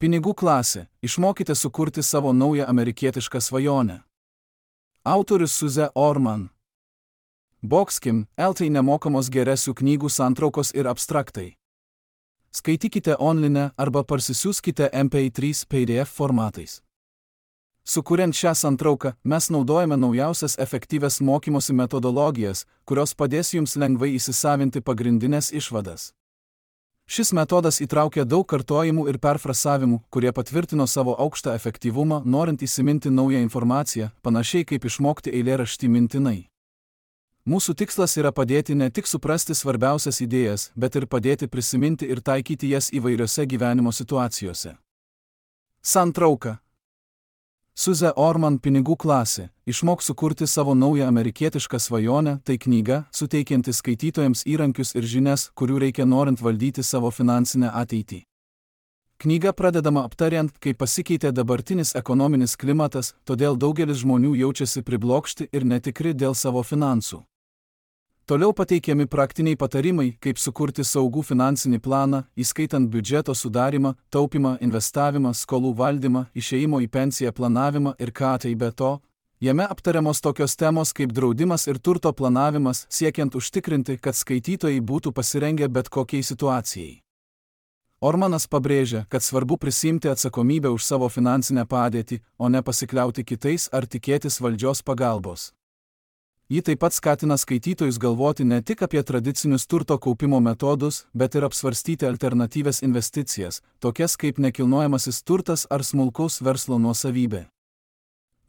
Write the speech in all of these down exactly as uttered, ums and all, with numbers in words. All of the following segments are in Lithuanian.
Pinigų klasė. Išmokite sukurti savo naują amerikietišką svajonę. Autorius Suze Orman. Boxkim, L T nemokamos geresių knygų santraukos ir abstraktai. Skaitykite online arba parsisiųskite M P trys P D F formatais. Sukuriant šią santrauką, mes naudojame naujausias efektyvias mokymosi metodologijas, kurios padės jums lengvai įsisavinti pagrindinės išvadas. Šis metodas įtraukia daug kartojimų ir perfrasavimų, kurie patvirtino savo aukštą efektyvumą, norint įsiminti naują informaciją, panašiai kaip išmokti eilėraštį mintinai. Mūsų tikslas yra padėti ne tik suprasti svarbiausias idėjas, bet ir padėti prisiminti ir taikyti jas įvairiose gyvenimo situacijose. Santrauka. Suze Orman Pinigų klasė. Išmok sukurti savo naują amerikietišką svajonę. Tai knyga, suteikianti skaitytojams įrankius ir žinias, kurių reikia norint valdyti savo finansinę ateitį. Knyga pradedama aptariant, kaip pasikeitė dabartinis ekonominis klimatas, todėl daugelis žmonių jaučiasi priblokšti ir netikri dėl savo finansų. Toliau pateikiami praktiniai patarimai, kaip sukurti saugų finansinį planą, įskaitant biudžeto sudarimą, taupimą, investavimą, skolų valdymą, išėjimo į pensiją planavimą ir ką tai be to. Jame aptariamos tokios temos kaip draudimas ir turto planavimas, siekiant užtikrinti, kad skaitytojai būtų pasirengę bet kokiai situacijai. Ormanas pabrėžia, kad svarbu prisimti atsakomybę už savo finansinę padėtį, o ne pasikliauti kitais ar tikėtis valdžios pagalbos. Ji taip pat skatina skaitytojus galvoti ne tik apie tradicinius turto kaupimo metodus, bet ir apsvarstyti alternatyvias investicijas, tokias kaip nekilnojamasis turtas ar smulkaus verslo nuosavybė.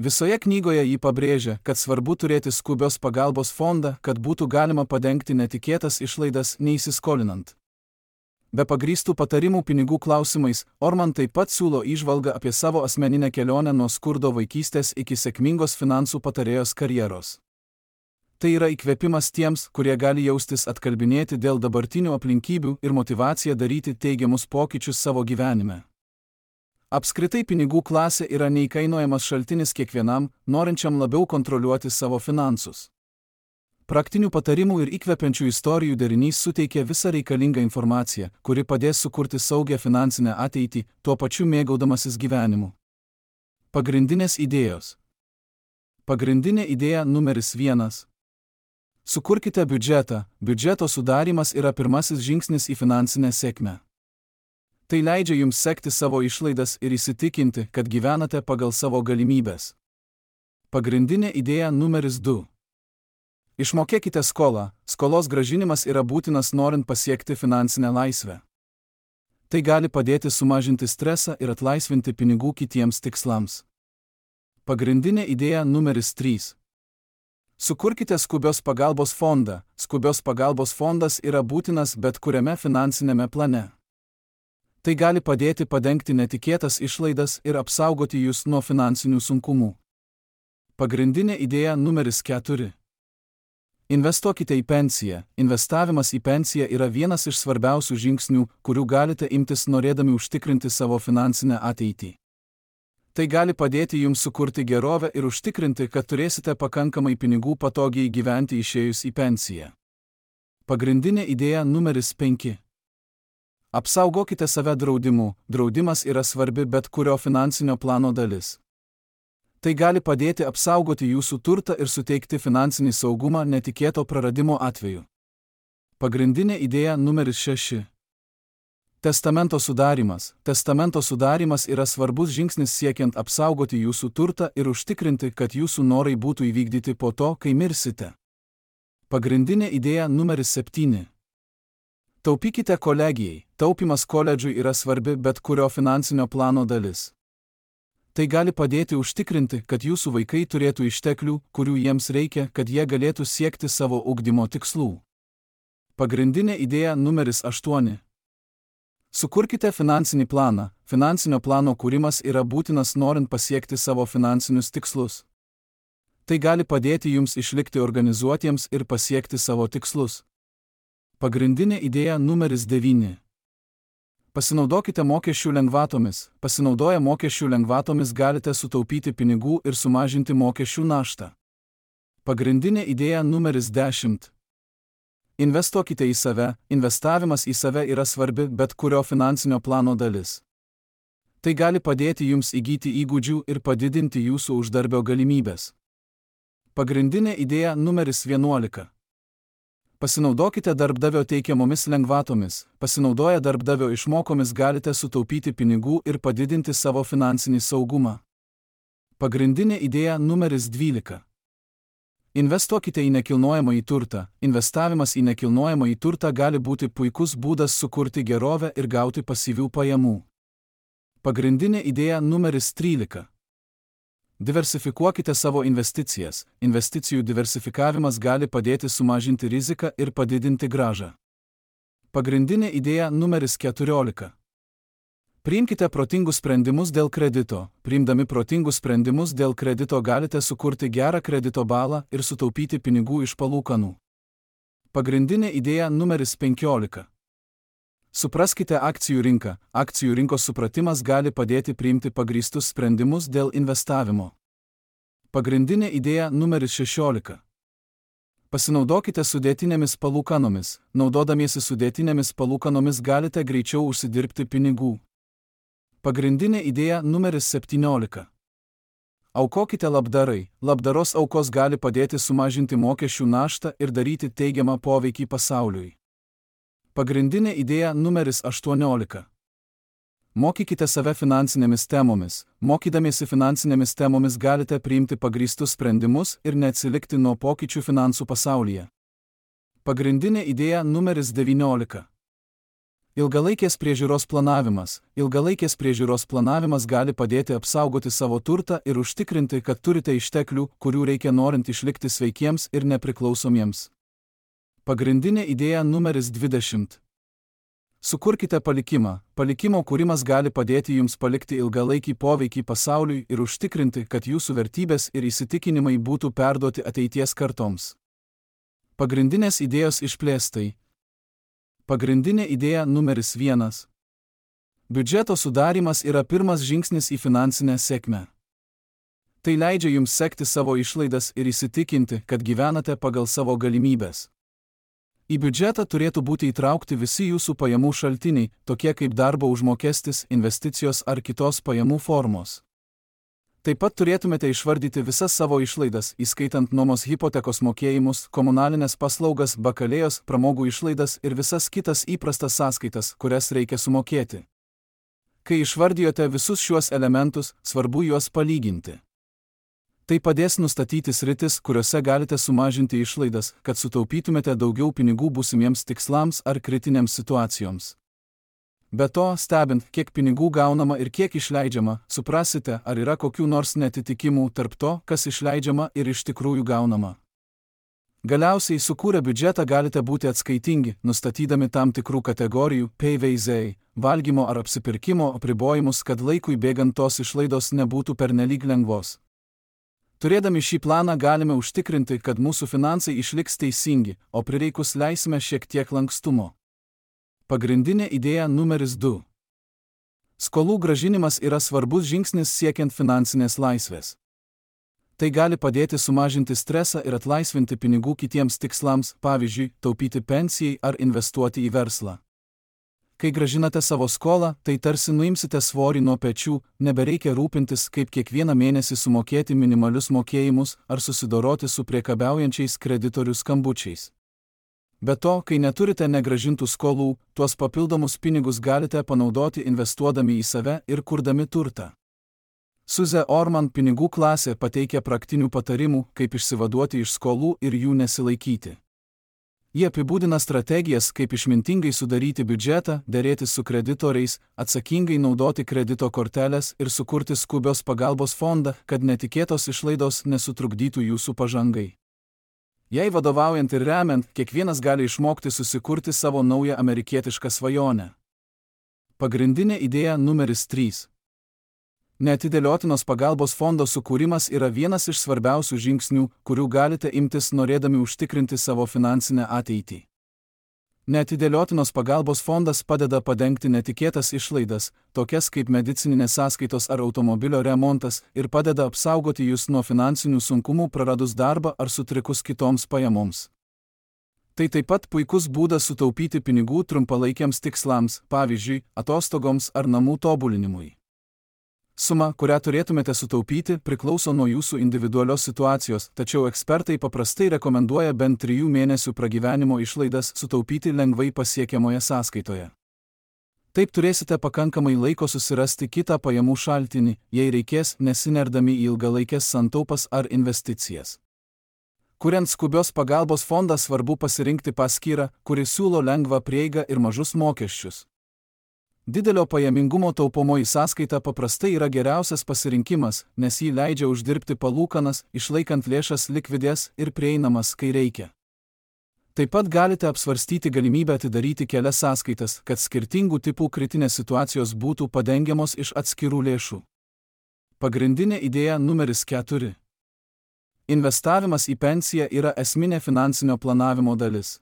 Visoje knygoje ji pabrėžia, kad svarbu turėti skubios pagalbos fondą, kad būtų galima padengti netikėtas išlaidas neįsiskolinant. Be pagrįstų patarimų pinigų klausimais, Orman taip pat siūlo įžvalgą apie savo asmeninę kelionę nuo skurdo vaikystės iki sėkmingos finansų patarėjos karjeros. Tai yra įkvėpimas tiems, kurie gali jaustis atkalbinėti dėl dabartinių aplinkybių ir motyvacija daryti teigiamus pokyčius savo gyvenime. Apskritai pinigų klasė yra neįkainojamas šaltinis kiekvienam, norinčiam labiau kontroliuoti savo finansus. Praktinių patarimų ir įkvepiančių istorijų derinys suteikia visą reikalingą informaciją, kuri padės sukurti saugią finansinę ateitį, tuo pačiu mėgaudamasis gyvenimu. Pagrindinės idėjos. Pagrindinė idėja numeris vienas. Sukurkite biudžetą. Biudžeto sudarymas yra pirmasis žingsnis į finansinę sėkmę. Tai leidžia jums sekti savo išlaidas ir įsitikinti, kad gyvenate pagal savo galimybes. Pagrindinė idėja numeris du. Išmokėkite skolą. Skolos grąžinimas yra būtinas norint pasiekti finansinę laisvę. Tai gali padėti sumažinti stresą ir atlaisvinti pinigų kitiems tikslams. Pagrindinė idėja numeris trys. Sukurkite skubios pagalbos fondą. Skubios pagalbos fondas yra būtinas bet kuriame finansinėme plane. Tai gali padėti padengti netikėtas išlaidas ir apsaugoti jūs nuo finansinių sunkumų. Pagrindinė idėja numeris keturi. Investuokite į pensiją. Investavimas į pensiją yra vienas iš svarbiausių žingsnių, kurių galite imtis norėdami užtikrinti savo finansinę ateitį. Tai gali padėti jums sukurti gerovę ir užtikrinti, kad turėsite pakankamai pinigų patogiai gyventi išėjus į pensiją. Pagrindinė idėja numeris penki. Apsaugokite save draudimu. Draudimas yra svarbi bet kurio finansinio plano dalis. Tai gali padėti apsaugoti jūsų turtą ir suteikti finansinį saugumą netikėto praradimo atveju. Pagrindinė idėja numeris šeši. Testamento sudarymas. Testamento sudarymas yra svarbus žingsnis siekiant apsaugoti jūsų turtą ir užtikrinti, kad jūsų norai būtų įvykdyti po to, kai mirsite. Pagrindinė idėja numeris septyni. Taupykite kolegijai. Taupimas koledžui yra svarbi bet kurio finansinio plano dalis. Tai gali padėti užtikrinti, kad jūsų vaikai turėtų išteklių, kurių jiems reikia, kad jie galėtų siekti savo ugdymo tikslų. Pagrindinė idėja numeris aštuoni. Sukurkite finansinį planą. Finansinio plano kūrimas yra būtinas norint pasiekti savo finansinius tikslus. Tai gali padėti jums išlikti organizuotiems ir pasiekti savo tikslus. Pagrindinė idėja numeris devyni. Pasinaudokite mokesčių lengvatomis. Pasinaudoję mokesčių lengvatomis galite sutaupyti pinigų ir sumažinti mokesčių naštą. Pagrindinė idėja numeris dešimt. Investuokite į save. Investavimas į save yra svarbi bet kurio finansinio plano dalis. Tai gali padėti jums įgyti įgūdžių ir padidinti jūsų uždarbio galimybės. Pagrindinė idėja numeris vienuolika. Pasinaudokite darbdavio teikiamomis lengvatomis. Pasinaudoję darbdavio išmokomis galite sutaupyti pinigų ir padidinti savo finansinį saugumą. Pagrindinė idėja numeris dvylika. Investuokite į nekilnojamąjį turtą. Investavimas į nekilnojamąjį turtą gali būti puikus būdas sukurti gerovę ir gauti pasyvių pajamų. Pagrindinė idėja numeris trylika. Diversifikuokite savo investicijas. Investicijų diversifikavimas gali padėti sumažinti riziką ir padidinti grąžą. Pagrindinė idėja numeris keturiolika. Priimkite protingus sprendimus dėl kredito. Priimdami protingus sprendimus dėl kredito galite sukurti gerą kredito balą ir sutaupyti pinigų iš palūkanų. Pagrindinė idėja numeris penkiolika. Supraskite akcijų rinką. Akcijų rinkos supratimas gali padėti priimti pagrįstus sprendimus dėl investavimo. Pagrindinė idėja numeris šešiolika. Pasinaudokite sudėtinėmis palūkanomis. Naudodamiesi sudėtinėmis palūkanomis galite greičiau užsidirbti pinigų. Pagrindinė idėja numeris septyniolika. Aukokite labdarai. Labdaros aukos gali padėti sumažinti mokesčių naštą ir daryti teigiamą poveikį pasauliui. Pagrindinė idėja numeris aštuoniolika. Mokykite save finansinėmis temomis. Mokydamiesi finansinėmis temomis galite priimti pagrįstus sprendimus ir neatsilikti nuo pokyčių finansų pasaulyje. Pagrindinė idėja numeris devyniolika. Ilgalaikės priežiūros planavimas. Ilgalaikės priežiūros planavimas gali padėti apsaugoti savo turtą ir užtikrinti, kad turite išteklių, kurių reikia norint išlikti sveikiems ir nepriklausomiems. Pagrindinė idėja numeris dvidešimt. Sukurkite palikimą. Palikimo kūrimas gali padėti jums palikti ilgalaikį poveikį pasauliui ir užtikrinti, kad jūsų vertybės ir įsitikinimai būtų perduoti ateities kartoms. Pagrindinės idėjos išplėstai. Pagrindinė idėja numeris vienas. Biudžeto sudarymas yra pirmas žingsnis į finansinę sėkmę. Tai leidžia jums sekti savo išlaidas ir įsitikinti, kad gyvenate pagal savo galimybės. Į biudžetą turėtų būti įtraukti visi jūsų pajamų šaltiniai, tokie kaip darbo užmokestis, investicijos ar kitos pajamų formos. Taip pat turėtumėte išvardyti visas savo išlaidas, įskaitant nuomos hipotekos mokėjimus, komunalinės paslaugas, bakalėjos, pramogų išlaidas ir visas kitas įprastas sąskaitas, kurias reikia sumokėti. Kai išvardijote visus šiuos elementus, svarbu juos palyginti. Tai padės nustatyti sritis, kuriuose galite sumažinti išlaidas, kad sutaupytumėte daugiau pinigų būsimiems tikslams ar kritinėms situacijoms. Be to, stebint, kiek pinigų gaunama ir kiek išleidžiama, suprasite, ar yra kokių nors netitikimų tarp to, kas išleidžiama ir iš tikrųjų gaunama. Galiausiai sukūrę biudžetą galite būti atskaitingi, nustatydami tam tikrų kategorijų P V Z, valgymo ar apsipirkimo apribojimus, kad laikui bėgant tos išlaidos nebūtų pernelyg lengvos. Turėdami šį planą galime užtikrinti, kad mūsų finansai išliks teisingi, o prireikus leisime šiek tiek lankstumo. Pagrindinė idėja numeris du. Skolų grąžinimas yra svarbus žingsnis siekiant finansinės laisvės. Tai gali padėti sumažinti stresą ir atlaisvinti pinigų kitiems tikslams, pavyzdžiui, taupyti pensijai ar investuoti į verslą. Kai grąžinate savo skolą, tai tarsi nuimsite svorį nuo pečių, nebereikia rūpintis, kaip kiekvieną mėnesį sumokėti minimalius mokėjimus ar susidoroti su priekabiaujančiais kreditorių skambučiais. Be to, kai neturite negrąžintų skolų, tuos papildomus pinigus galite panaudoti investuodami į save ir kurdami turtą. Suze Orman pinigų klasė pateikia praktinių patarimų, kaip išsivaduoti iš skolų ir jų nesilaikyti. Jie apibūdina strategijas, kaip išmintingai sudaryti biudžetą, dėrėtis su kreditoriais, atsakingai naudoti kredito korteles ir sukurti skubios pagalbos fondą, kad netikėtos išlaidos nesutrukdytų jūsų pažangai. Jei vadovaujant ir remiant, kiekvienas gali išmokti susikurti savo naują amerikietišką svajonę. Pagrindinė idėja numeris trys. Neatidėliotinos pagalbos fondo sukūrimas yra vienas iš svarbiausių žingsnių, kurių galite imtis norėdami užtikrinti savo finansinę ateitį. Neatidėliotinos pagalbos fondas padeda padengti netikėtas išlaidas, tokias kaip medicininės sąskaitos ar automobilio remontas, ir padeda apsaugoti jūs nuo finansinių sunkumų praradus darbą ar sutrikus kitoms pajamoms. Tai taip pat puikus būdas sutaupyti pinigų trumpalaikiams tikslams, pavyzdžiui, atostogoms ar namų tobulinimui. Suma, kurią turėtumėte sutaupyti, priklauso nuo jūsų individualios situacijos, tačiau ekspertai paprastai rekomenduoja bent trijų mėnesių pragyvenimo išlaidas sutaupyti lengvai pasiekiamoje sąskaitoje. Taip turėsite pakankamai laiko susirasti kitą pajamų šaltinį, jei reikės, nesinerdami į ilgalaikės santaupas ar investicijas. Kuriant skubios pagalbos fondą, svarbu pasirinkti paskyrą, kuri siūlo lengvą prieigą ir mažus mokesčius. Didelio pajamingumo taupomoji sąskaita paprastai yra geriausias pasirinkimas, nes jį leidžia uždirbti palūkanas, išlaikant lėšas likvidės ir prieinamas, kai reikia. Taip pat galite apsvarstyti galimybę atidaryti kelias sąskaitas, kad skirtingų tipų kritinės situacijos būtų padengiamos iš atskirų lėšų. Pagrindinė idėja numeris keturi. Investavimas į pensiją yra esminė finansinio planavimo dalis.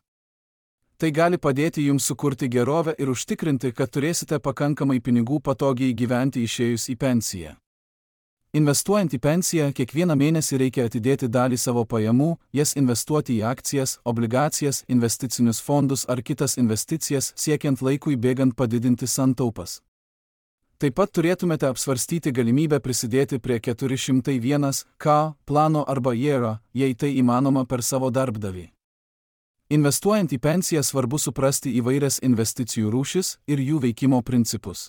Tai gali padėti jums sukurti gerovę ir užtikrinti, kad turėsite pakankamai pinigų patogiai gyventi išėjus į pensiją. Investuojant į pensiją, kiekvieną mėnesį reikia atidėti dalį savo pajamų, jas investuoti į akcijas, obligacijas, investicinius fondus ar kitas investicijas, siekiant laikui bėgant padidinti santaupas. Taip pat turėtumėte apsvarstyti galimybę prisidėti prie keturi šimtai vienas K plano arba I R A, jei tai įmanoma per savo darbdavį. Investuojant į pensiją svarbu suprasti įvairias investicijų rūšis ir jų veikimo principus.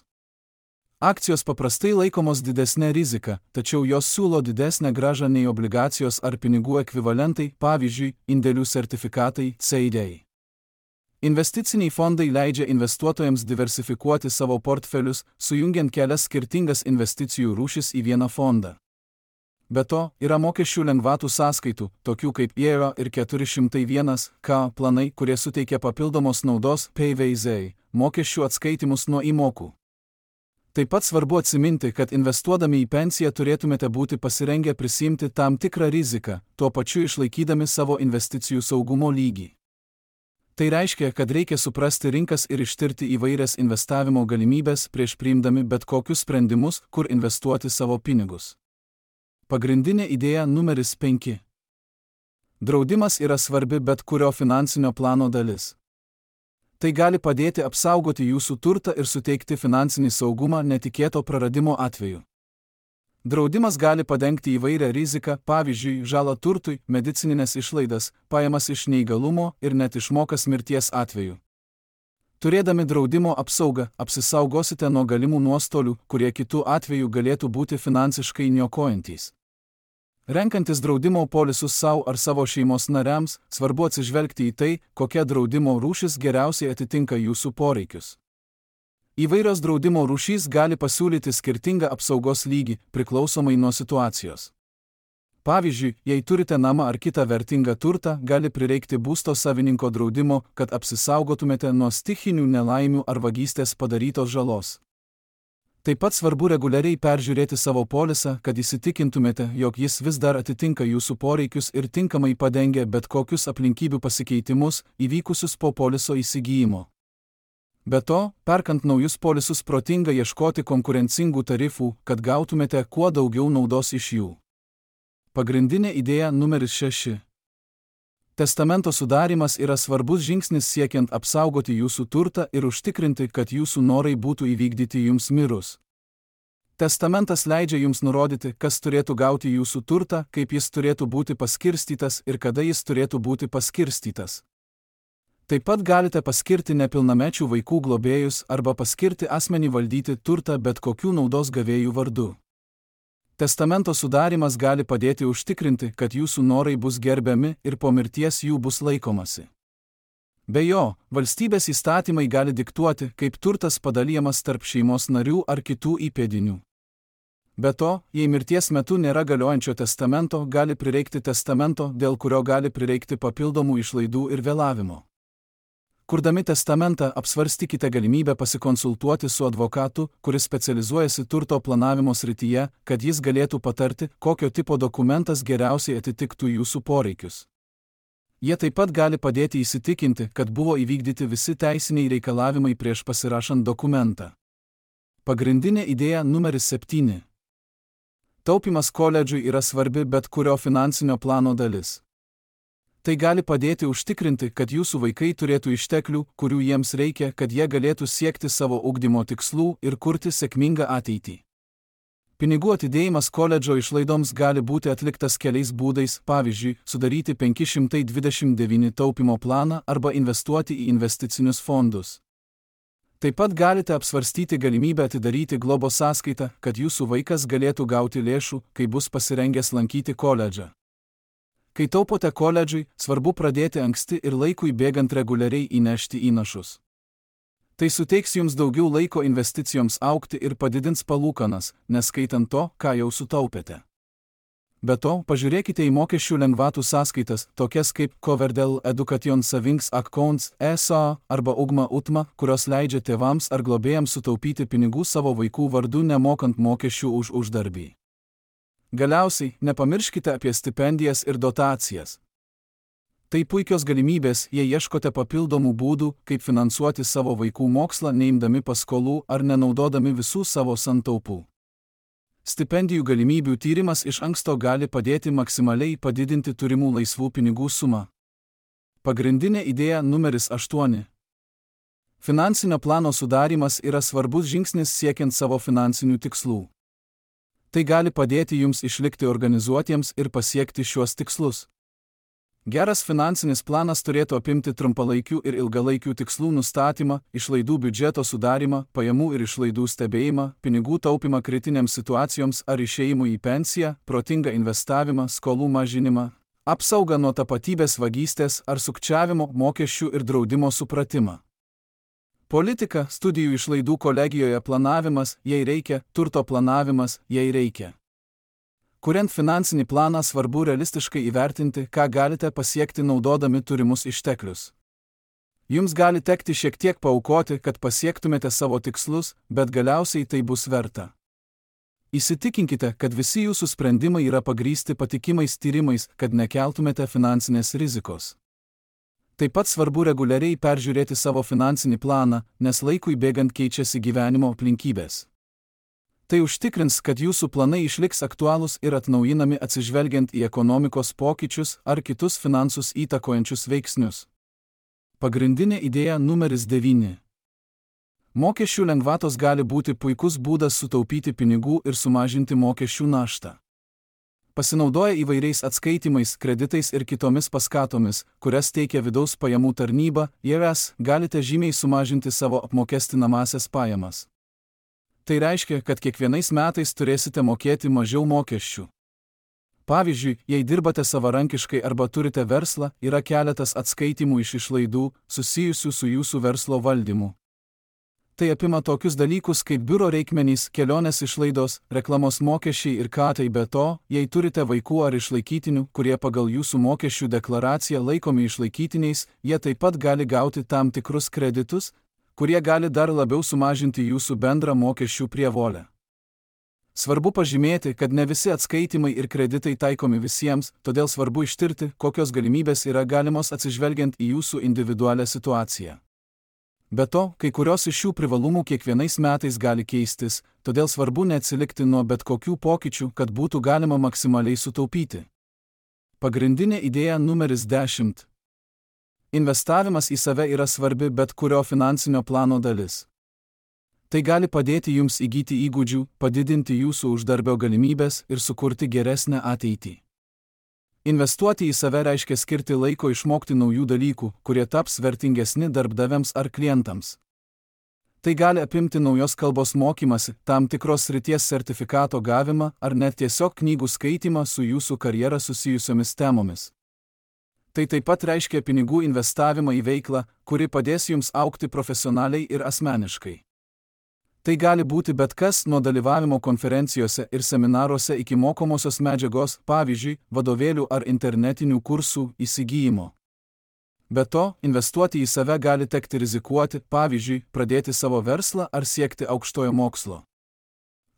Akcijos paprastai laikomos didesnė rizika, tačiau jos siūlo didesnę grąžą nei obligacijos ar pinigų ekvivalentai, pavyzdžiui, indėlių sertifikatai C D I. Investiciniai fondai leidžia investuotojams diversifikuoti savo portfelius, sujungiant kelias skirtingas investicijų rūšis į vieną fondą. Be to, yra mokesčių lengvatų sąskaitų, tokių kaip I R A ir keturi šimtai vienas K planai, kurie suteikia papildomos naudos P V Z, mokesčių atskaitimus nuo įmokų. Taip pat svarbu atsiminti, kad investuodami į pensiją turėtumėte būti pasirengę prisiimti tam tikrą riziką, tuo pačiu išlaikydami savo investicijų saugumo lygį. Tai reiškia, kad reikia suprasti rinkas ir ištirti įvairias investavimo galimybės prieš priimdami bet kokius sprendimus, kur investuoti savo pinigus. Pagrindinė idėja numeris penki. Draudimas yra svarbi bet kurio finansinio plano dalis. Tai gali padėti apsaugoti jūsų turtą ir suteikti finansinį saugumą netikėto praradimo atveju. Draudimas gali padengti įvairią riziką, pavyzdžiui, žalą turtui, medicininės išlaidas, pajamas iš neįgalumo ir net išmokas mirties atveju. Turėdami draudimo apsaugą, apsisaugosite nuo galimų nuostolių, kurie kitų atveju galėtų būti finansiškai niokojantys. Renkantis draudimo polisus savo ar savo šeimos nariams, svarbu atsižvelgti į tai, kokia draudimo rūšis geriausiai atitinka jūsų poreikius. Įvairios draudimo rūšys gali pasiūlyti skirtingą apsaugos lygį, priklausomai nuo situacijos. Pavyzdžiui, jei turite namą ar kitą vertingą turtą, gali prireikti būsto savininko draudimo, kad apsisaugotumėte nuo stichinių nelaimių ar vagystės padarytos žalos. Taip pat svarbu reguliariai peržiūrėti savo polisą, kad įsitikintumėte, jog jis vis dar atitinka jūsų poreikius ir tinkamai padengia bet kokius aplinkybių pasikeitimus, įvykusius po poliso įsigijimo. Be to, perkant naujus polisus protinga ieškoti konkurencingų tarifų, kad gautumėte kuo daugiau naudos iš jų. Pagrindinė idėja numeris šeši. Testamento sudarymas yra svarbus žingsnis siekiant apsaugoti jūsų turtą ir užtikrinti, kad jūsų norai būtų įvykdyti jums mirus. Testamentas leidžia jums nurodyti, kas turėtų gauti jūsų turtą, kaip jis turėtų būti paskirstytas ir kada jis turėtų būti paskirstytas. Taip pat galite paskirti nepilnamečių vaikų globėjus arba paskirti asmenį valdyti turtą bet kokių naudos gavėjų vardu. Testamento sudarymas gali padėti užtikrinti, kad jūsų norai bus gerbiami ir po mirties jų bus laikomasi. Be jo, valstybės įstatymai gali diktuoti, kaip turtas padalijamas tarp šeimos narių ar kitų įpėdinių. Be to, jei mirties metu nėra galiojančio testamento, gali prireikti testamento, dėl kurio gali prireikti papildomų išlaidų ir vėlavimo. Kurdami testamentą, apsvarstykite galimybę pasikonsultuoti su advokatu, kuris specializuojasi turto planavimo srityje, kad jis galėtų patarti, kokio tipo dokumentas geriausiai atitiktų jūsų poreikius. Jie taip pat gali padėti įsitikinti, kad buvo įvykdyti visi teisiniai reikalavimai prieš pasirašant dokumentą. Pagrindinė idėja numeris septyni. Taupimas koledžui yra svarbi bet kurio finansinio plano dalis. Tai gali padėti užtikrinti, kad jūsų vaikai turėtų išteklių, kurių jiems reikia, kad jie galėtų siekti savo ugdymo tikslų ir kurti sėkmingą ateitį. Pinigų atidėjimas koledžo išlaidoms gali būti atliktas keliais būdais, pavyzdžiui, sudaryti penki šimtai dvidešimt devyni taupimo planą arba investuoti į investicinius fondus. Taip pat galite apsvarstyti galimybę atidaryti globos sąskaitą, kad jūsų vaikas galėtų gauti lėšų, kai bus pasirengęs lankyti koledžą. Kai taupote koledžui, svarbu pradėti anksti ir laikui bėgant reguliariai įnešti įnašus. Tai suteiks jums daugiau laiko investicijoms augti ir padidins palūkanas, neskaitant to, ką jau sutaupėte. Be to, pažiūrėkite į mokesčių lengvatų sąskaitas, tokias kaip Coverdell Education Savings Accounts E S A arba Ugma Utma, kurios leidžia tėvams ar globėjams sutaupyti pinigų savo vaikų vardu nemokant mokesčių už uždarbį. Galiausiai, nepamirškite apie stipendijas ir dotacijas. Tai puikios galimybės, jei ieškote papildomų būdų, kaip finansuoti savo vaikų mokslą neimdami paskolų ar nenaudodami visų savo santaupų. Stipendijų galimybių tyrimas iš anksto gali padėti maksimaliai padidinti turimų laisvų pinigų sumą. Pagrindinė idėja numeris aštuoni. Finansinio plano sudarymas yra svarbus žingsnis siekiant savo finansinių tikslų. Tai gali padėti jums išlikti organizuotiems ir pasiekti šiuos tikslus. Geras finansinis planas turėtų apimti trumpalaikių ir ilgalaikių tikslų nustatymą, išlaidų biudžeto sudarimą, pajamų ir išlaidų stebėjimą, pinigų taupimą kritinėms situacijoms ar išėjimui į pensiją, protingą investavimą, skolų mažinimą, apsaugą nuo tapatybės vagystės ar sukčiavimo, mokesčių ir draudimo supratimą. Politika, studijų išlaidų kolegijoje planavimas, jei reikia, turto planavimas, jei reikia. Kuriant finansinį planą, svarbu realistiškai įvertinti, ką galite pasiekti naudodami turimus išteklius. Jums gali tekti šiek tiek paaukoti, kad pasiektumėte savo tikslus, bet galiausiai tai bus verta. Įsitikinkite, kad visi jūsų sprendimai yra pagrįsti patikimais tyrimais, kad nekeltumėte finansinės rizikos. Taip pat svarbu reguliariai peržiūrėti savo finansinį planą, nes laikui bėgant keičiasi gyvenimo aplinkybės. Tai užtikrins, kad jūsų planai išliks aktualūs ir atnaujinami atsižvelgiant į ekonomikos pokyčius ar kitus finansus įtakojančius veiksnius. Pagrindinė idėja numeris devyni. Mokesčių lengvatos gali būti puikus būdas sutaupyti pinigų ir sumažinti mokesčių naštą. Pasinaudoję įvairiais atskaitimais, kreditais ir kitomis paskatomis, kurias teikia vidaus pajamų tarnyba, I R S, galite žymiai sumažinti savo apmokestinamąsias pajamas. Tai reiškia, kad kiekvienais metais turėsite mokėti mažiau mokesčių. Pavyzdžiui, jei dirbate savarankiškai arba turite verslą, yra keletas atskaitimų iš išlaidų, susijusių su jūsų verslo valdymu. Tai apima tokius dalykus kaip biuro reikmenys, kelionės išlaidos, reklamos mokesčiai ir katai. Be to, jei turite vaikų ar išlaikytinių, kurie pagal jūsų mokesčių deklaraciją laikomi išlaikytiniais, jie taip pat gali gauti tam tikrus kreditus, kurie gali dar labiau sumažinti jūsų bendrą mokesčių prievolę. Svarbu pažymėti, kad ne visi atskaitimai ir kreditai taikomi visiems, todėl svarbu ištirti, kokios galimybės yra galimos atsižvelgiant į jūsų individualią situaciją. Be to, kai kurios iš šių privalumų kiekvienais metais gali keistis, todėl svarbu neatsilikti nuo bet kokių pokyčių, kad būtų galima maksimaliai sutaupyti. Pagrindinė idėja numeris dešimt. Investavimas į save yra svarbi bet kurio finansinio plano dalis. Tai gali padėti jums įgyti įgūdžių, padidinti jūsų uždarbio galimybės ir sukurti geresnę ateitį. Investuoti į save reiškia skirti laiko išmokti naujų dalykų, kurie taps vertingesni darbdaviams ar klientams. Tai gali apimti naujos kalbos mokymasi, tam tikros srities sertifikato gavimą ar net tiesiog knygų skaitymą su jūsų karjera susijusiomis temomis. Tai taip pat reiškia pinigų investavimą į veiklą, kuri padės jums augti profesionaliai ir asmeniškai. Tai gali būti bet kas nuo dalyvavimo konferencijose ir seminaruose iki mokomosios medžiagos, pavyzdžiui, vadovėlių ar internetinių kursų įsigijimo. Be to, investuoti į save gali tekti rizikuoti, pavyzdžiui, pradėti savo verslą ar siekti aukštojo mokslo.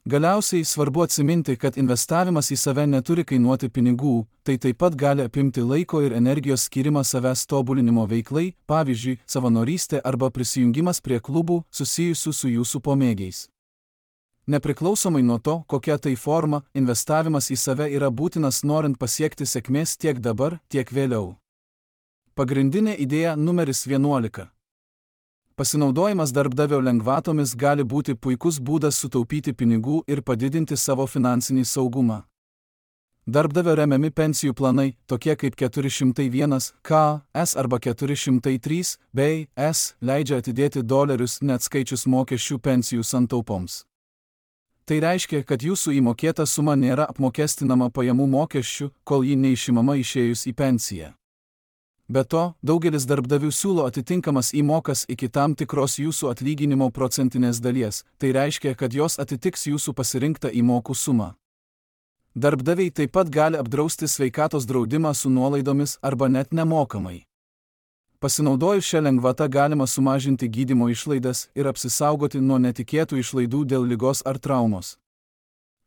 Galiausiai svarbu atsiminti, kad investavimas į save neturi kainuoti pinigų, tai taip pat gali apimti laiko ir energijos skirimą savęs tobulinimo veiklai, pavyzdžiui, savanorystė arba prisijungimas prie klubų susijusių su jūsų pomėgiais. Nepriklausomai nuo to, kokia tai forma, investavimas į save yra būtinas norint pasiekti sėkmės tiek dabar, tiek vėliau. Pagrindinė idėja numeris vienuolika. Pasinaudojimas darbdavio lengvatomis gali būti puikus būdas sutaupyti pinigų ir padidinti savo finansinį saugumą. Darbdavio remiami pensijų planai, tokie kaip keturi šimtai vienas K S arba keturi šimtai trys B S, leidžia atidėti dolerius neatskaičius mokesčių pensijų santaupoms. Tai reiškia, kad jūsų įmokėta suma nėra apmokestinama pajamų mokesčių, kol ji neišimama išėjus į pensiją. Be to, daugelis darbdavių siūlo atitinkamas įmokas iki tam tikros jūsų atlyginimo procentinės dalies, tai reiškia, kad jos atitiks jūsų pasirinktą įmokų sumą. Darbdaviai taip pat gali apdrausti sveikatos draudimą su nuolaidomis arba net nemokamai. Pasinaudojus šią lengvatą galima sumažinti gydymo išlaidas ir apsisaugoti nuo netikėtų išlaidų dėl ligos ar traumos.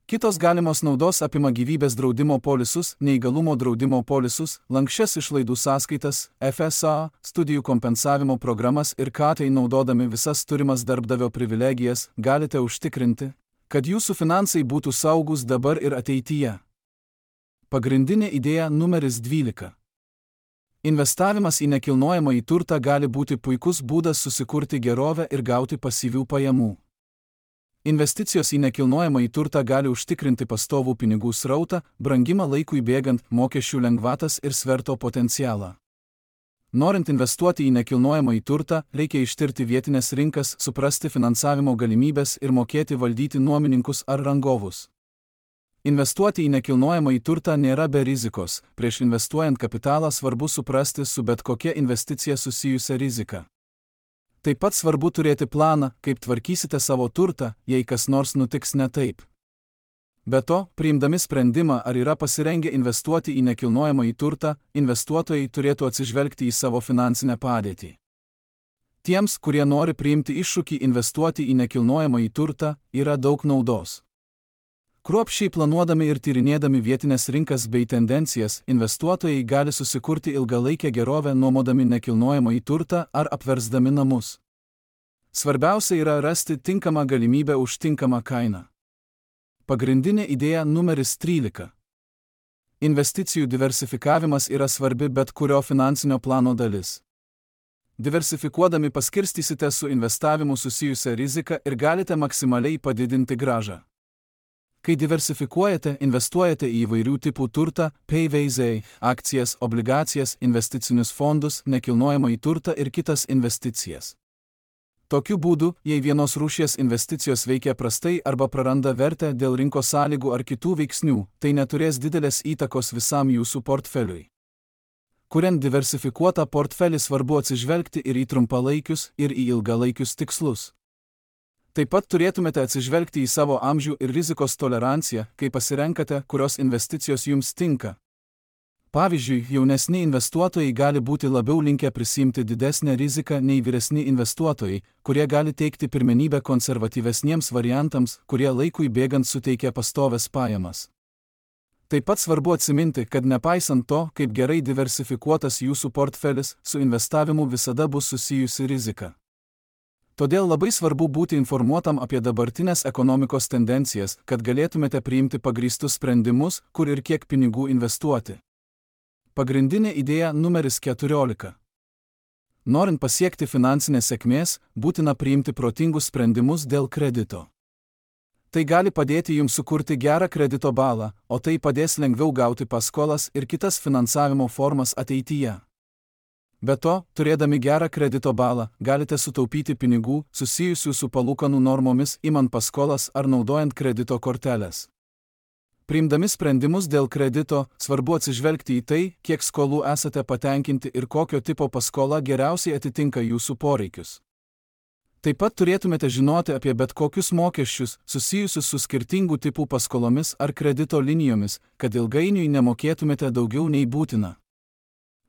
Kitos galimos naudos apima gyvybės draudimo polisus, neįgalumo draudimo polisus, lanksčias išlaidų sąskaitas, F S A, studijų kompensavimo programas ir ką tai naudodami visas turimas darbdavio privilegijas galite užtikrinti, kad jūsų finansai būtų saugus dabar ir ateityje. Pagrindinė idėja numeris dvylika. Investavimas į nekilnojamąjį turtą gali būti puikus būdas susikurti gerovę ir gauti pasyvių pajamų. Investicijos į nekilnojamąjį turtą gali užtikrinti pastovų pinigų srautą, brangimą laikui bėgant, mokesčių lengvatas ir sverto potencialą. Norint investuoti į nekilnojamąjį turtą, reikia ištirti vietinės rinkas, suprasti finansavimo galimybės ir mokėti valdyti nuomininkus ar rangovus. Investuoti į nekilnojamąjį turtą nėra be rizikos, prieš investuojant kapitalą svarbu suprasti su bet kokia investicija susijusią riziką. Taip pat svarbu turėti planą, kaip tvarkysite savo turtą, jei kas nors nutiks ne taip. Be to, priimdami sprendimą, ar yra pasirengę investuoti į nekilnojamąjį turtą, investuotojai turėtų atsižvelgti į savo finansinę padėtį. Tiems, kurie nori priimti iššūkį investuoti į nekilnojamąjį turtą, yra daug naudos. Kruopščiai planuodami ir tyrinėdami vietinės rinkas bei tendencijas, investuotojai gali susikurti ilgalaikę gerovę nuomodami nekilnojamąjį turtą ar apversdami namus. Svarbiausia yra rasti tinkamą galimybę už tinkamą kainą. Pagrindinė idėja numeris trylika. Investicijų diversifikavimas yra svarbi bet kurio finansinio plano dalis. Diversifikuodami paskirstysite su investavimu susijusią riziką ir galite maksimaliai padidinti grąžą. Kai diversifikuojate, investuojate į įvairių tipų turtą, P V Z, akcijas, obligacijas, investicinius fondus, nekilnojamąjį turtą ir kitas investicijas. Tokiu būdu, jei vienos rūšies investicijos veikia prastai arba praranda vertę dėl rinkos sąlygų ar kitų veiksnių, tai neturės didelės įtakos visam jūsų portfeliui. Kuriant diversifikuotą portfelį svarbu atsižvelgti ir į trumpalaikius, ir į ilgalaikius tikslus. Taip pat turėtumėte atsižvelgti į savo amžių ir rizikos toleranciją, kai pasirenkate, kurios investicijos jums tinka. Pavyzdžiui, jaunesni investuotojai gali būti labiau linkę prisimti didesnę riziką nei vyresni investuotojai, kurie gali teikti pirmenybę konservatyvesniems variantams, kurie laikui bėgant suteikia pastoves pajamas. Taip pat svarbu atsiminti, kad nepaisant to, kaip gerai diversifikuotas jūsų portfelis, su investavimu visada bus susijusi rizika. Todėl labai svarbu būti informuotam apie dabartinės ekonomikos tendencijas, kad galėtumėte priimti pagrįstus sprendimus, kur ir kiek pinigų investuoti. Pagrindinė idėja numeris keturiolika. Norint pasiekti finansinės sėkmės, būtina priimti protingus sprendimus dėl kredito. Tai gali padėti jums sukurti gerą kredito balą, o tai padės lengviau gauti paskolas ir kitas finansavimo formas ateityje. Be to, turėdami gerą kredito balą, galite sutaupyti pinigų, susijusių su palūkanų normomis, imant paskolas ar naudojant kredito korteles. Priimdami sprendimus dėl kredito, svarbu atsižvelgti į tai, kiek skolų esate patenkinti ir kokio tipo paskola geriausiai atitinka jūsų poreikius. Taip pat turėtumėte žinoti apie bet kokius mokesčius, susijusius su skirtingų tipų paskolomis ar kredito linijomis, kad ilgainiui nemokėtumėte daugiau nei būtina.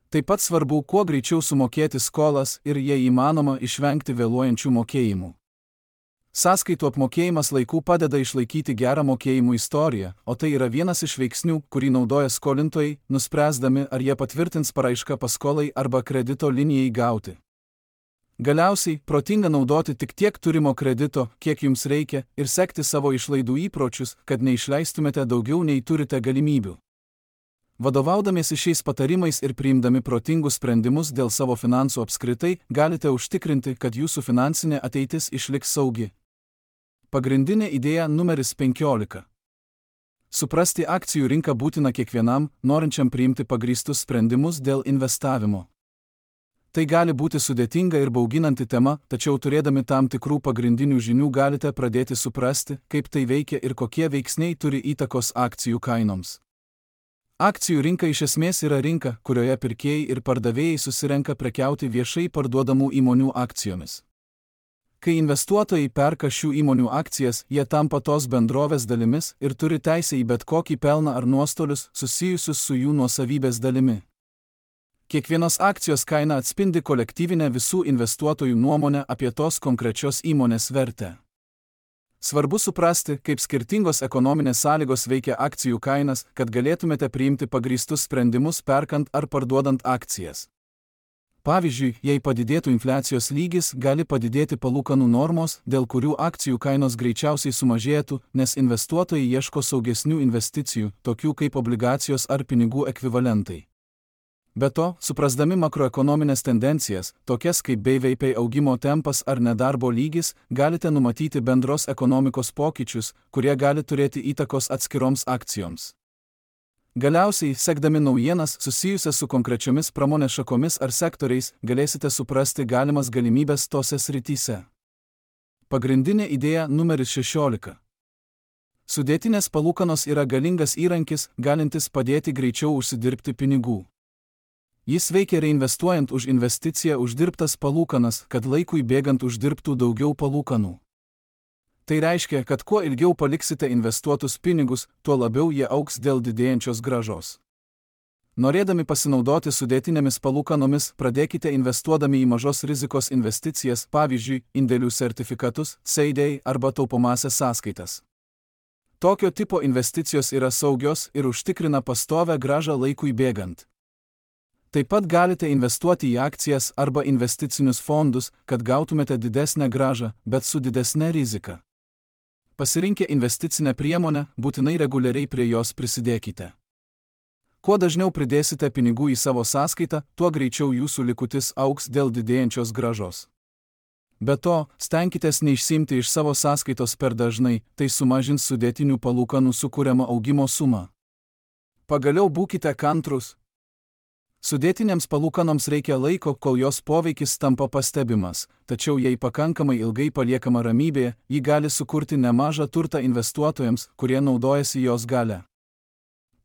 Taip pat svarbu kuo greičiau sumokėti skolas ir, jei įmanoma, išvengti vėluojančių mokėjimų. Sąskaitų apmokėjimas laiku padeda išlaikyti gerą mokėjimų istoriją, o tai yra vienas iš veiksnių, kurį naudoja skolintojai, nuspręsdami, ar jie patvirtins paraišką paskolai arba kredito linijai gauti. Galiausiai, protinga naudoti tik tiek turimo kredito, kiek jums reikia, ir sekti savo išlaidų įpročius, kad neišleistumėte daugiau nei turite galimybių. Vadovaudamiesi šiais patarimais ir priimdami protingus sprendimus dėl savo finansų apskritai, galite užtikrinti, kad jūsų finansinė ateitis išliks saugi. Pagrindinė idėja numeris penkiolika. Suprasti akcijų rinką būtina kiekvienam, norinčiam priimti pagrįstus sprendimus dėl investavimo. Tai gali būti sudėtinga ir bauginanti tema, tačiau turėdami tam tikrų pagrindinių žinių galite pradėti suprasti, kaip tai veikia ir kokie veiksniai turi įtakos akcijų kainoms. Akcijų rinka iš esmės yra rinka, kurioje pirkėjai ir pardavėjai susirenka prekiauti viešai parduodamų įmonių akcijomis. Kai investuotojai perka šių įmonių akcijas, jie tampa tos bendrovės dalimis ir turi teisę į bet kokį pelną ar nuostolius susijusius su jų nuosavybės dalimi. Kiekvienos akcijos kaina atspindi kolektyvinę visų investuotojų nuomonę apie tos konkrečios įmonės vertę. Svarbu suprasti, kaip skirtingos ekonominės sąlygos veikia akcijų kainas, kad galėtumėte priimti pagrįstus sprendimus perkant ar parduodant akcijas. Pavyzdžiui, jei padidėtų infliacijos lygis, gali padidėti palūkanų normos, dėl kurių akcijų kainos greičiausiai sumažėtų, nes investuotojai ieško saugesnių investicijų, tokių kaip obligacijos ar pinigų ekvivalentai. Be to, suprasdami makroekonominės tendencijas, tokias kaip B V P augimo tempas ar nedarbo lygis, galite numatyti bendros ekonomikos pokyčius, kurie gali turėti įtakos atskiroms akcijoms. Galiausiai, sekdami naujienas susijusias su konkrečiomis pramonės šakomis ar sektoriais, galėsite suprasti galimas galimybės tose srityse. Pagrindinė idėja numeris šešiolika. Sudėtinės palūkanos yra galingas įrankis, galintis padėti greičiau užsidirbti pinigų. Jis veikia reinvestuojant už investiciją uždirbtas palūkanas, kad laikui bėgant uždirbtų daugiau palūkanų. Tai reiškia, kad kuo ilgiau paliksite investuotus pinigus, tuo labiau jie augs dėl didėjančios grąžos. Norėdami pasinaudoti sudėtinėmis palūkanomis, pradėkite investuodami į mažos rizikos investicijas, pavyzdžiui, indėlių sertifikatus, C D I arba taupomąsias sąskaitas. Tokio tipo investicijos yra saugios ir užtikrina pastovią grąžą laikui bėgant. Taip pat galite investuoti į akcijas arba investicinius fondus, kad gautumėte didesnę grąžą, bet su didesne rizika. Pasirinkę investicinę priemonę, būtinai reguliariai prie jos prisidėkite. Kuo dažniau pridėsite pinigų į savo sąskaitą, tuo greičiau jūsų likutis augs dėl didėjančios grąžos. Be to, stenkitės neišsiimti iš savo sąskaitos per dažnai, tai sumažins sudėtinių palūkanų sukuriamą augimo sumą. Pagaliau būkite kantrūs. Sudėtinėms palūkanoms reikia laiko, kol jos poveikis tampa pastebimas, tačiau jei pakankamai ilgai paliekama ramybėje, ji gali sukurti nemažą turtą investuotojams, kurie naudojasi jos galia.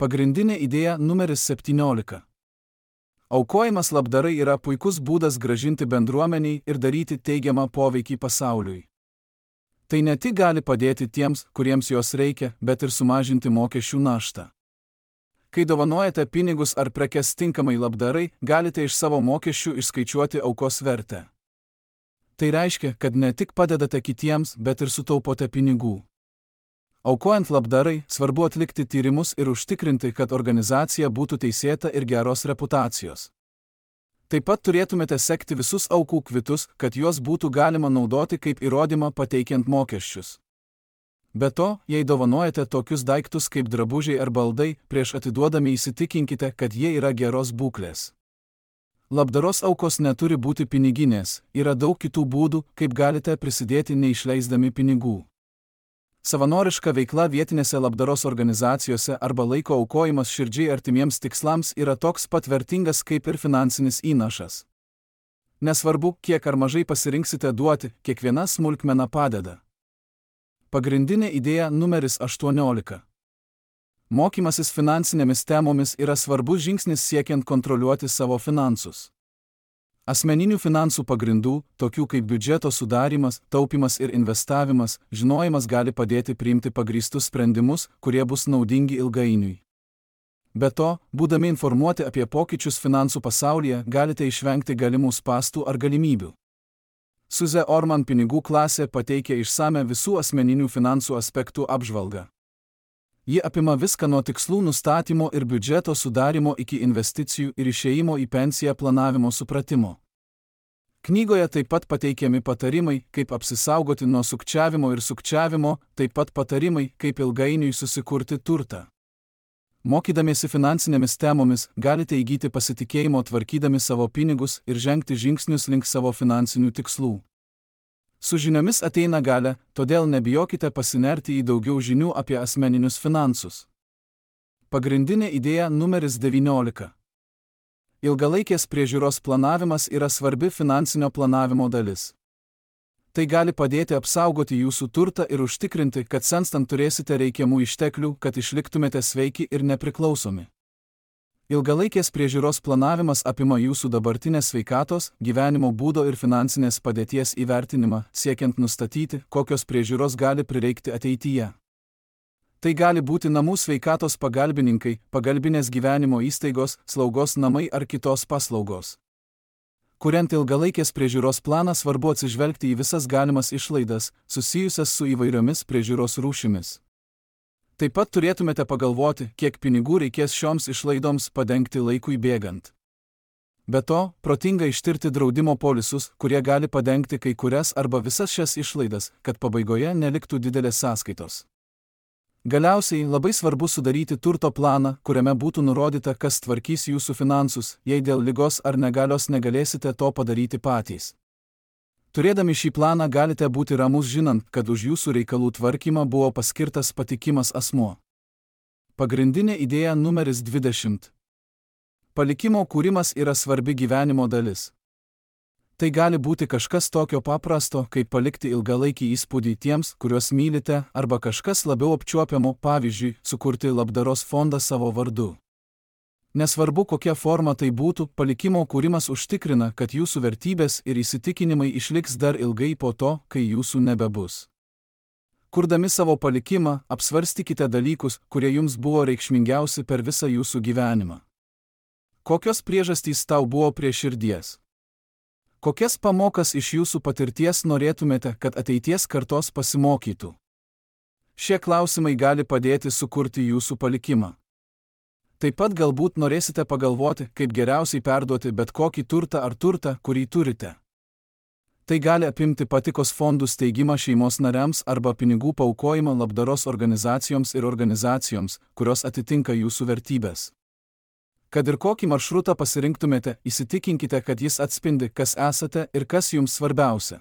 Pagrindinė idėja numeris septyniolika. Aukojimas labdarai yra puikus būdas grąžinti bendruomeniai ir daryti teigiamą poveikį pasauliui. Tai ne tik gali padėti tiems, kuriems jos reikia, bet ir sumažinti mokesčių naštą. Kai dovanojate pinigus ar prekes tinkamai labdarai, galite iš savo mokesčių išskaičiuoti aukos vertę. Tai reiškia, kad ne tik padedate kitiems, bet ir sutaupote pinigų. Aukojant labdarai, svarbu atlikti tyrimus ir užtikrinti, kad organizacija būtų teisėta ir geros reputacijos. Taip pat turėtumėte sekti visus aukų kvitus, kad juos būtų galima naudoti kaip įrodymą pateikiant mokesčius. Be to, jei dovanojate tokius daiktus kaip drabužiai ar baldai, prieš atiduodami įsitikinkite, kad jie yra geros būklės. Labdaros aukos neturi būti piniginės, yra daug kitų būdų, kaip galite prisidėti neišleisdami pinigų. Savanoriška veikla vietinėse labdaros organizacijose arba laiko aukojimas širdžiai artimiems tikslams yra toks pat vertingas kaip ir finansinis įnašas. Nesvarbu, kiek ar mažai pasirinksite duoti, kiekviena smulkmena padeda. Pagrindinė idėja numeris aštuoniolika. Mokymasis finansinėmis temomis yra svarbus žingsnis siekiant kontroliuoti savo finansus. Asmeninių finansų pagrindų, tokių kaip biudžeto sudarymas, taupimas ir investavimas, žinojimas gali padėti priimti pagrįstus sprendimus, kurie bus naudingi ilgainiui. Be to, būdami informuoti apie pokyčius finansų pasaulyje, galite išvengti galimų spąstų ar galimybių. Suze Orman pinigų klasė pateikia išsame visų asmeninių finansų aspektų apžvalgą. Ji apima viską nuo tikslų nustatymo ir biudžeto sudarimo iki investicijų ir išėjimo į pensiją planavimo supratimo. Knygoje taip pat pateikiami patarimai, kaip apsisaugoti nuo sukčiavimo ir sukčiavimo, taip pat patarimai, kaip ilgainiui susikurti turtą. Mokydamiesi finansinėmis temomis, galite įgyti pasitikėjimo tvarkydami savo pinigus ir žengti žingsnius link savo finansinių tikslų. Su žiniomis ateina galia, todėl nebijokite pasinerti į daugiau žinių apie asmeninius finansus. Pagrindinė idėja numeris devyniolika. Ilgalaikės priežiūros planavimas yra svarbi finansinio planavimo dalis. Tai gali padėti apsaugoti jūsų turtą ir užtikrinti, kad senstant turėsite reikiamų išteklių, kad išliktumėte sveiki ir nepriklausomi. Ilgalaikės priežiūros planavimas apima jūsų dabartinės sveikatos, gyvenimo būdo ir finansinės padėties įvertinimą, siekiant nustatyti, kokios priežiūros gali prireikti ateityje. Tai gali būti namų sveikatos pagalbininkai, pagalbinės gyvenimo įstaigos, slaugos namai ar kitos paslaugos. Kuriant ilgalaikės priežiūros planą, svarbu atsižvelgti į visas galimas išlaidas, susijusias su įvairiomis priežiūros rūšimis. Taip pat turėtumėte pagalvoti, kiek pinigų reikės šioms išlaidoms padengti laikui bėgant. Be to, protinga ištirti draudimo polisus, kurie gali padengti kai kurias arba visas šias išlaidas, kad pabaigoje neliktų didelės sąskaitos. Galiausiai labai svarbu sudaryti turto planą, kuriame būtų nurodyta, kas tvarkys jūsų finansus, jei dėl ligos ar negalios negalėsite to padaryti patys. Turėdami šį planą galite būti ramus žinant, kad už jūsų reikalų tvarkymą buvo paskirtas patikimas asmuo. Pagrindinė idėja numeris dvidešimt. Palikimo kūrimas yra svarbi gyvenimo dalis. Tai gali būti kažkas tokio paprasto, kaip palikti ilgalaikį įspūdį tiems, kuriuos mylite, arba kažkas labiau apčiuopiamo, pavyzdžiui, sukurti labdaros fondą savo vardu. Nesvarbu, kokia forma tai būtų, palikimo kūrimas užtikrina, kad jūsų vertybės ir įsitikinimai išliks dar ilgai po to, kai jūsų nebebus. Kurdami savo palikimą, apsvarstykite dalykus, kurie jums buvo reikšmingiausi per visą jūsų gyvenimą. Kokios priežastys tau buvo prie širdies? Kokias pamokas iš jūsų patirties norėtumėte, kad ateities kartos pasimokytų? Šie klausimai gali padėti sukurti jūsų palikimą. Taip pat galbūt norėsite pagalvoti, kaip geriausiai perduoti bet kokį turtą ar turtą, kurį turite. Tai gali apimti patikos fondų steigimą šeimos nariams arba pinigų paaukojimą labdaros organizacijoms ir organizacijoms, kurios atitinka jūsų vertybės. Kad ir kokį maršrutą pasirinktumėte, įsitikinkite, kad jis atspindi, kas esate ir kas jums svarbiausia.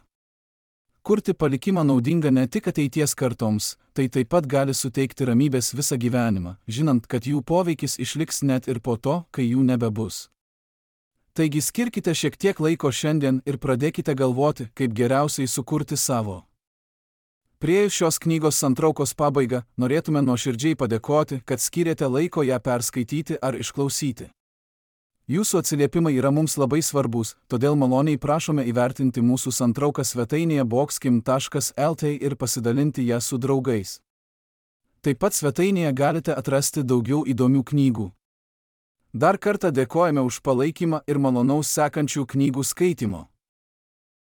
Kurti palikimą naudinga ne tik ateities kartoms, tai taip pat gali suteikti ramybės visą gyvenimą, žinant, kad jų poveikis išliks net ir po to, kai jų nebebus. Taigi skirkite šiek tiek laiko šiandien ir pradėkite galvoti, kaip geriausiai sukurti savo. Priėjus šios knygos santraukos pabaigą, norėtume nuoširdžiai padėkoti, kad skyrėte laiko ją perskaityti ar išklausyti. Jūsų atsiliepimai yra mums labai svarbus, todėl maloniai prašome įvertinti mūsų santrauką svetainėje boxkim taškas el tė ir pasidalinti ją su draugais. Taip pat svetainėje galite atrasti daugiau įdomių knygų. Dar kartą dėkojame už palaikymą ir malonaus sekančių knygų skaitimo.